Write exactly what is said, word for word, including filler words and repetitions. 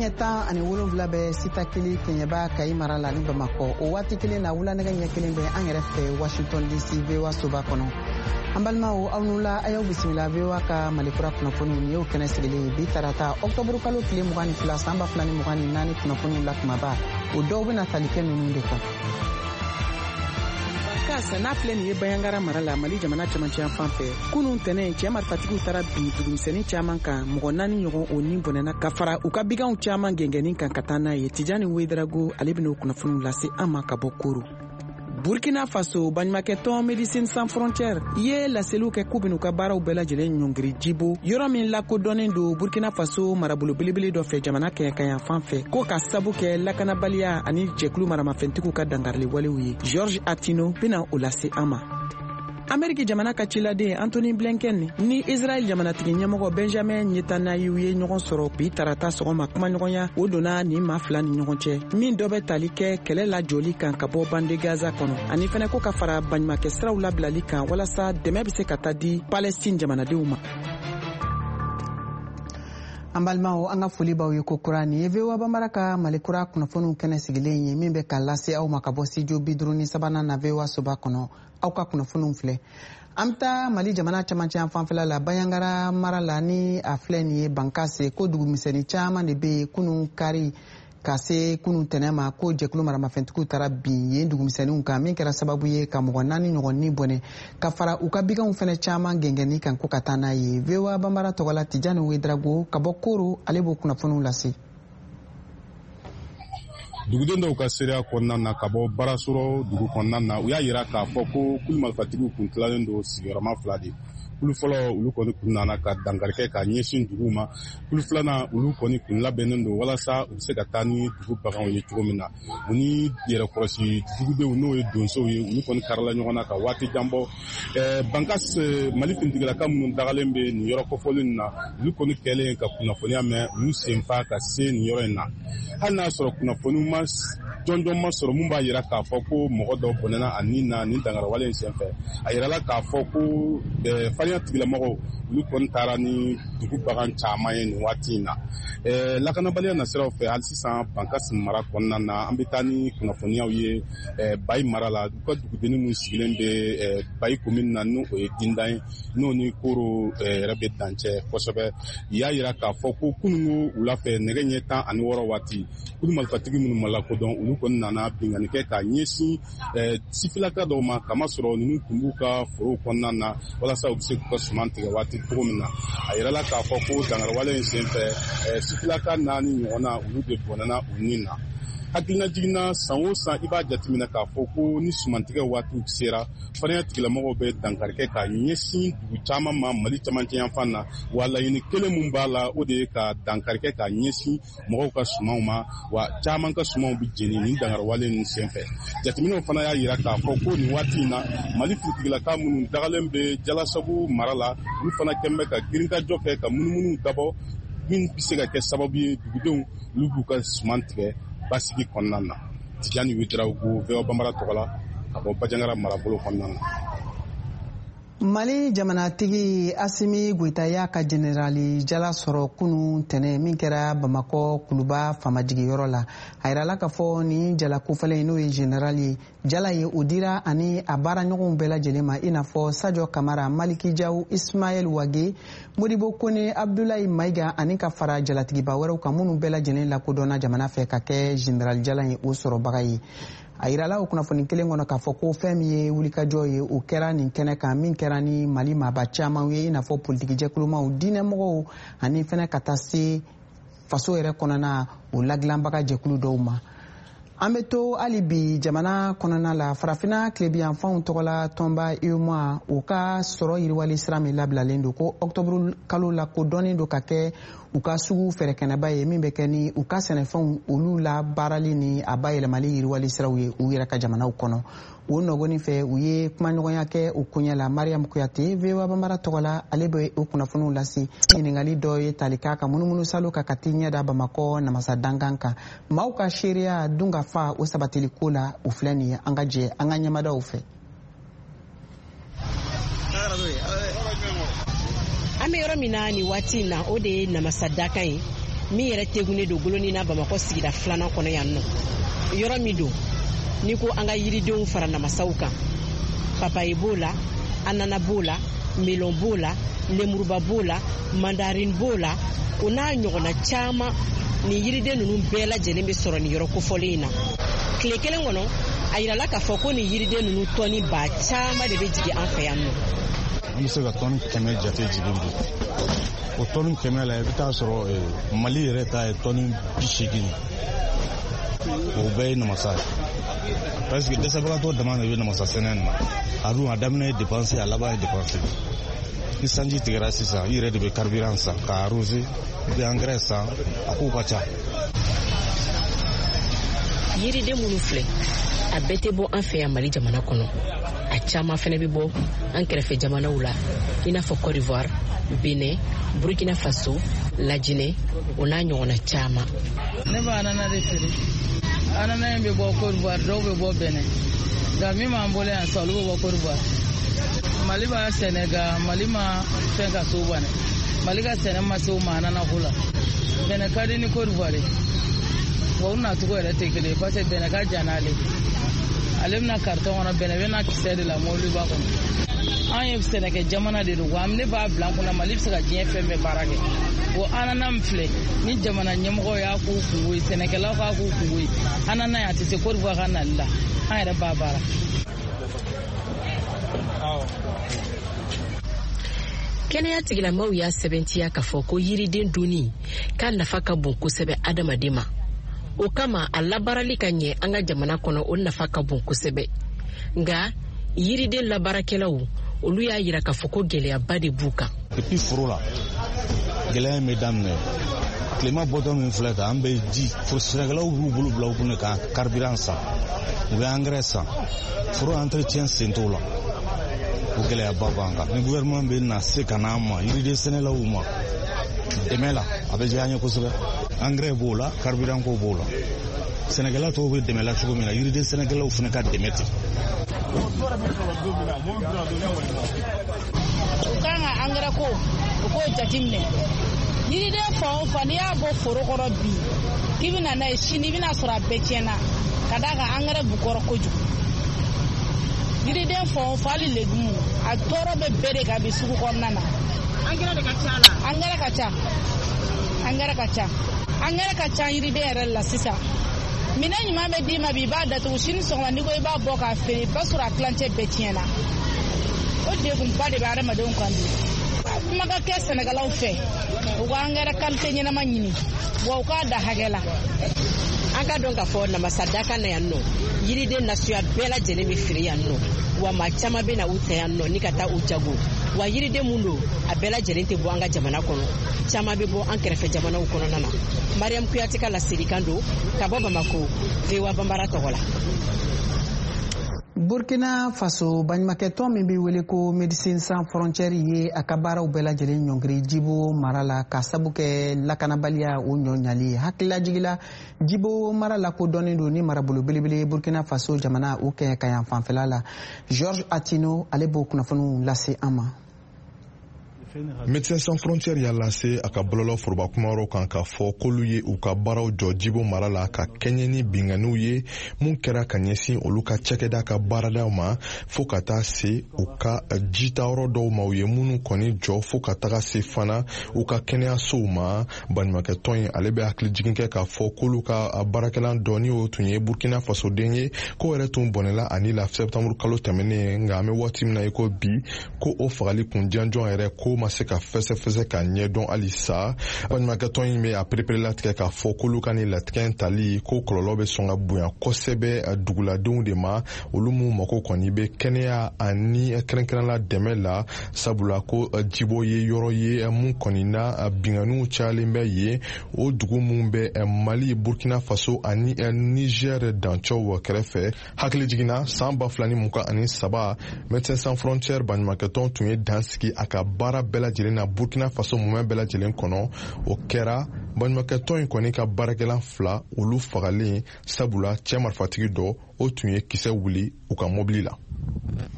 Nɛgɛ ɲɛ tan ani wolonwula bɛ Sitakili, Kɛɲɛba, Kayi mara la ni Bamakɔ. O waati kelen na, wula nɛgɛ ɲɛ kelen bɛ an yɛrɛ fɛ Washington D C, V O A soba kɔnɔ. An balimaw, aw n'u la, a y'aw bisimila V O A ka Malikura kunnafoniw. Nin y'o kɛnɛ sigilen ye bi tarata, ɔktɔburu kalo tile mugan ni fila, san ba fila ni mugan ni naani. Kunnafoniw la kumaba, o dɔw bɛna tali kɛ ninnu de kan. Bankas n'a filɛ nin ye Banjagara mara la, Mali jamana camancɛ fan fɛ, kunun tɛnɛ, cɛɛ marifatigiw taara bin dugumisɛnnin caaman kan. Mɔgɔ naani ɲɔgɔn o ni bɔnɛna, ka fara u ka biganw caaman gɛngɛnnin kan ka taa n'a ye. Tijani Wedarago, ale ben'o kunnafoniw lase an ma ka bɔ Koro. Burkina Faso, baɲumakɛtɔn Médecins Sans Frontières ye laseliw kɛ k'u ben'u ka baaraw bɛɛ lajɛlen ɲɔngiri Jibo, yɔrɔ min lakodɔnnen don Burkina Faso marabolo belebele dɔ fɛ jamana kɛɲɛkayan fan fɛ, ko ka sabu kɛ lakanabaliya ani jɛkulu maramafɛntigiw ka dangarili walew ye. George Atino bena o lase an ma. Ameriki jamana ka ciladen Antony Blinken ni Israel jamanatigi ɲɛmɔgɔ Benjamin Netanyahu ye ɲɔgɔn sɔrɔ bi tarata sɔgɔma. Kumaɲɔgɔnya o donna nin maa fila ni ɲɔgɔn cɛ, min dɔ bɛ tali kɛ kɛlɛ lajɔli kan ka bɔ bande Gaza kɔnɔ, ani fɛnɛ ko ka fara baɲumakɛ siraw labilali kan walasa dɛmɛ be se ka taa di Palestine jamanadenw ma. An balimaw, an ka foli b'aw ye kokura. Nin ye V O A Banbara ka Malikura kunnafoniw kɛnɛ sigilen ye, min bɛ ka lase aw ma ka bɔ studio bi duuru ni sabanan na, V O A soba kɔnɔ. Aw ka kunnafoniw filɛ. An bɛ taa Mali jamana camancɛ fanfɛla la, Banjagara mara la ni a filɛ nin ye Bankase, ko dugumisɛnnin caman de bɛ yen. Kunun kari ka se kunun tɛnɛ ma, ko jɛkulu maramafɛntigiw taara bin yen dugumisɛnninw kan, min kɛra sababu ye ka mɔgɔ naani ɲɔgɔn ni bɔnɛ, ka fara u ka biganw fɛnɛ caman gɛngɛnni kan ko ka taa n'a ye. V O A Banbara tɔgɔla, Tijani Wedrago ka bɔ Koro, ale b'o kunnafoniw lase. Duguden dɔw ka seereya kɔnɔna na ka bɔ Baarasɔrɔ dugu kɔnɔna na, u y'a yira k'a fɔ ko kulu marifatigiw kun tilalen don sigiyɔrɔma fila de. Kulu fɔlɔ, olu kɔni kun nana ka dankarikɛ ka ɲɛsin dugu ma. Kulu filanan, olu kɔni kun labɛnnen don walasa u bɛ se ka taa ni dugu baganw ye cogo min na. U ni yɛrɛkɔrɔsi dugudenw, n'o ye donsow ye, olu kɔni karila ɲɔgɔn na ka waati jan bɔ. Bankas, Mali finitigilaka minnu dagalen bɛ nin yɔrɔ kofɔlen nin na, olu kɔni kɛlen ka kunnafoniya mɛn, u y'u senfa ka se nin yɔrɔ in na, hali n'a sɔrɔ kunnafoni ma jɔnjɔn ma sɔrɔ mun b'a yira k'a fɔ ko mɔgɔ dɔ bɔnɛna a ni na nin dangarawale in senfɛ. A yirala k'a fɔ ko farinya tigilamɔgɔw, olu kɔni taara ni dugu bagan caman ye nin waati in na. Lakanabaliya nasiraw fɛ, hali sisan Bankasi mara kɔnɔna na, an bɛ taa ni kunnafoniyaw ye Bayi mara la. U ka dugudenni min sigilen bɛ Bayi komini na, n'o ye Dindan ye, n'o ni Koro yɛrɛ bɛ dancɛ kosɛbɛ, u y'a yira k'a fɔ ko kununko wula fɛ, nɛgɛ ɲɛ tan ani wɔɔrɔ waati, kulu marifatigi minnu ma lakodɔn, olu kɔni nana binkanni kɛ k'a ɲɛsin sifilaka dɔw ma, kamasɔrɔ ninnu tun b'u ka forow kɔnɔna na walasa u bɛ se k'u ka suman tigɛ waati cogo min na. A yirala k'a fɔ ko dangarawale in senfɛ, sifilaka naani ɲɔgɔnna, olu de bɔnɛna u ni na. Hakilina jiginna, san o san, i b'a jateminɛ k'a fɔ ko ni sumantigɛ waatiw sera, farinya tigilamɔgɔw bɛ dankarikɛ k'a ɲɛsin dugu caman ma Mali camancɛ yanfan na. Wa laɲini kelen mun b'a la, o de ye ka dankarikɛ k'a ɲɛsin mɔgɔw ka sumanw ma. Wa caman ka sumanw bɛ jeni nin dangarawale ninnu senfɛ. Jateminɛw fana y'a yira k'a fɔ ko nin waati in na, Mali finitigilaka minnu dagalen bɛ Jalasagu mara la, olu fana kɛn bɛ ka girinkajɔ kɛ ka munumunu dabɔ min bɛ se ka kɛ sababu ye dugudenw, olu b'u ka suman tigɛ basigi kɔnɔna na. Tijani Wedarawogo, V O A Banbara tɔgɔ la, ka bɔ Banjagara marabolo kɔnɔna na. Mali jamanatigi Asimi Goyita y'a ka jenerali jala sɔrɔ kunu tɛnɛ, min kɛra Bamakɔ Kuluba faamajigiyɔrɔ la. A yirala k'a fɔ nin jala kofɔlen, n'o ye jenerali jala ye, o dira ani a baaraɲɔgɔnw bɛɛ lajɛlen ma, i n'a fɔ Sajo Kamara, Maliki Jaw, Ismaɛl Wage, Modibo Kone, Abdulayi Mayiga, ani ka fara jalatigiba wɛrɛw kan, minnu bɛɛ lajɛlen lakodɔnna jamana fɛ ka kɛ jenerali jala ye o sɔrɔbaga ye. A yirala o kunnafoni kelen kɔnɔ k'a fɔ ko fɛn min ye wulikajɔ ye, o kɛra nin kɛnɛ kan, min kɛra ni Mali maaba caman ye, i n'a fɔ politikijɛkulumaw, diinɛmɔgɔw, ani fɛnɛ ka taa se faso yɛrɛ kɔnɔna o ladilanbaga jɛkulu dɔw ma. An bɛ to hali bi jamana kɔnɔna la. Farafinna tilebiyanfanw tɔgɔla tɔnba UEMOA, o ka sɔrɔ yiriwali sira min labilalen don, ko ɔktɔburu kalo la kodɔnnen don ka kɛ u ka sugu fɛrɛkɛnɛba ye, min bɛ kɛ ni u ka sɛnɛfɛnw olu la baarali ni a bayɛlɛmali yiriwali siraw ye u yɛrɛ ka jamanaw kɔnɔ. O nɔgɔni fɛ, u ye kumaɲɔgɔnya kɛ o koɲɛ la. Mariam Kuyate, V O A Banbara tɔgɔ la, ale bɛ o kunnafoniw lase. Ɲininkali dɔ ye tali k'a ka munumunu salo kan ka t'i ɲɛ da Bamakɔ namasa dankan kan, maaw ka seereya dun ka fa o sabatili ko la, o filɛ nin ye. An ka jɛ an ka ɲɛmadaw fɛ. An bɛ yɔrɔ min na nin waati in na, o de ye namasa dakan ye. Min yɛrɛ tegunnen don Golonina Bamakɔ sigida filanan kɔnɔ yan nɔ. Yɔrɔ min don n'i ko an ka yiridenw fara namasaw kan, papaye b'o la, anana b'o la, melon b'o la, lemuruba b'o la, mandarine b'o la, o n'a ɲɔgɔnna caman. Nin yiriden ninnu bɛɛ lajɛlen bɛ sɔrɔ nin yɔrɔ kofɔlen in na. Tile kelen kɔnɔ, a yirala k'a fɔ ko nin yiriden ninnu tɔni ba caman de bɛ jigin an fɛ yan nɔ. An bɛ se ka tɔni kɛmɛ jate jigin bi. O tɔni kɛmɛ la, i bɛ taa sɔrɔ Mali yɛrɛ ta ye tɔni bi seegin. O bɛɛ ye namasa ye. Parce que dɛsɛbagatɔ dama de bɛ namasa sɛnɛ nin na. A dun, a daminɛ ye dépense, a laban ye dépense. Ni sanji tigɛra sisan, i yɛrɛ de bɛ carburant san k'a arroser, i bɛ engrais san, a kow ka ca. Yiriden minnu filɛ, a bɛɛ tɛ bɔ an fɛ yan Mali jamana kɔnɔ. A caman fɛnɛ bɛ bɔ an kɛrɛfɛ jamanaw la, i n'a fɔ Côte d'Ivoire, Benin, Burkina Faso, Lajinɛ, o n'a ɲɔgɔnna caman. Ne bɛ anana de feere. Anana in bɛ bɔ Côte d'Ivoire, dɔw bɛ bɔ Benin, nka min b'an bolo yan sisan, olu bɛ bɔ Côte d'Ivoire. Mali b'a sɛnɛ, nka Mali ma fɛn ka se o ma dɛ. Mali ka sɛnɛ ma se o ma anana ko la. Benin ka di ni Côte d'Ivoire ye, wa u nacogo yɛrɛ tɛ kelen ye, parce que Benin ka jan n'ale, ale bɛna carton kɔnɔ, Benin bɛna kisɛ de la mɔbiliba kɔnɔ. An ye sɛnɛkɛ jamana de don, wa ne b'a bila an kunna Mali bɛ se ka diɲɛ fɛn bɛɛ baara kɛ. O anana min filɛ ni jamana ɲɛmɔgɔw y'a k'u kungo ye, sɛnɛkɛlaw k'a k'u kungo ye, anana ye a tɛ se Côte d'Ivoire ka nali la, an yɛrɛ b'a baara. Kɛnɛya tigilamaw y'a sɛbɛntiya k'a fɔ ko yiriden dunni k'a nafa ka bon kosɛbɛ adamaden ma. O kama, a labaarali ka ɲɛ an ka jamana kɔnɔ, o nafa ka bon kosɛbɛ. Nka yiriden labaarakɛlaw, olu y'a yira k'a fɔ ko gɛlɛyaba de b'u kan. Depuis foro la, gɛlɛya in bɛ daminɛ. Tilema bɔtɔ min filɛ tan, an bɛ ji, sɛnɛkɛlaw b'u bolo bila u kun ka carburant san, u bɛ engrais san, foro entretien sen t'o la. O gɛlɛyaba b'an kan. Ni gouvernement bɛ na se ka n'an ma, yiriden sɛnɛlaw ma dɛmɛ la, a bɛ diya an ye kosɛbɛ. Engrais b'o la, carburant ko b'o la. Sɛnɛkɛla tɔw bɛ dɛmɛ la cogo min na, yiriden sɛnɛkɛlaw fana ka dɛmɛ ten. U kan ka angɛrɛ ko, u k'o jateminɛ. Yiriden fan o fan, n'i y'a bɔ foro kɔnɔ bi k'i bɛna n'a ye sini, i bɛna sɔrɔ a bɛɛ tiɲɛna, ka d'a kan angɛrɛ b'u kɔrɔ kojugu. Yiriden fan o fan, hali legumu, a tɔɔrɔ bɛ bɛɛ de kan bi sugu kɔnɔna na. Angɛrɛ de ka ca la. Angɛrɛ ka ca, angɛrɛ ka ca, angɛrɛ ka ca yiriden yɛrɛ la sisan. Minɛn ɲuman bɛ d'i ma bi, i b'a datugu, sini sɔgɔma n'i ko i b'a bɔ k'a feere, i b'a sɔrɔ a tilancɛ bɛɛ tiɲɛna. O degunba de bɛ adamadenw kan bi. Kuma ka kɛ sɛnɛkɛlaw fɛ, u ka angɛrɛ kalite ɲɛnama ɲini, wa u k'a da hakɛ la. An ka dɔn k'a fɔ namasa dakan na yan nɔ, yiriden nasuya bɛɛ lajɛlen bɛ feere yan nɔ, wa maa caman bɛ na u ta yan nɔ ni ka taa u jago. Wa yiriden mun don, a bɛɛ lajɛlen tɛ bɔ an ka jamana kɔnɔ, caman bɛ bɔ an kɛrɛfɛ jamanaw kɔnɔna na. Mariam Kuyate ka laselikan don ka bɔ Bamako, V O A Banbara tɔgɔ la. Burkina Faso, baɲumankɛtɔn min bɛ wele ko Médecins Sans Frontières ye a ka baaraw bɛɛ lajɛlen ɲɔngiri Jibo mara la, ka sabu kɛ lakanabaliya o ɲɔ ɲali. Hakililajigila, Jibo mara lakodɔnnen don ni marabolo belebele Burkina Faso jamana o kɛ ka yan fanfɛla la. Georges Atino, ale b'o kunnafoniw lase an ma. Médecins Sans Frontières y'a lase a ka bɔlɔlɔ foroba kumayɔrɔ kan k'a fɔ k'olu ye u ka baaraw jɔ Jibo mara la ka kɛɲɛ ni binkanniw ye mun kɛra ka ɲɛsin olu ka cakɛda ka baaradaw ma, fo ka taa se u ka jitayɔrɔ dɔw ma, u ye minnu kɔni jɔ, fo ka taga se fana u ka kɛnɛyasow ma. Baɲumankɛtɔn in ale bɛ hakilijigin kɛ k'a fɔ k'olu ka baarakɛlan dɔ, ni o tun ye Burkina Fasoden ye, k'o yɛrɛ tun bɔnɛla ani la septembre kalo tɛmɛnen. Nka an bɛ waati min na i ko bi, ko o fagali kun janjɔn yɛrɛ ko ma se ka fɛsɛfɛsɛ ka ɲɛdɔn halisa. Baɲumankɛtɔn in bɛ a perepere latigɛ k'a fɔ k'olu ka nin latigɛ in tali ko kɔlɔlɔ bɛ sɔn ka bonya kosɛbɛ duguladenw de ma, olu mun mako kɔni bɛ kɛnɛya ani kɛrɛnkɛrɛnla dɛmɛ la, sabula ko Jibo ye yɔrɔ ye mun kɔni na binkanniw cayalen bɛ yen. O dugu mun bɛ Mali, Burkina Faso ani Niger dancɛw kɛrɛfɛ. Hakili jiginna, san ba fila ni mugan ani saba, Médecins Sans Frontières baɲumankɛtɔn tun ye dan sigi a ka baara bɛɛ lajɛlen na Burkina Faso mumɛ bɛɛ lajɛlen kɔnɔ. O kɛra baɲumankɛtɔn in kɔni ka baarakɛlan fila olu fagalen, sabula cɛ marifatigi dɔ o tun ye kisɛ wuli u ka mobili la.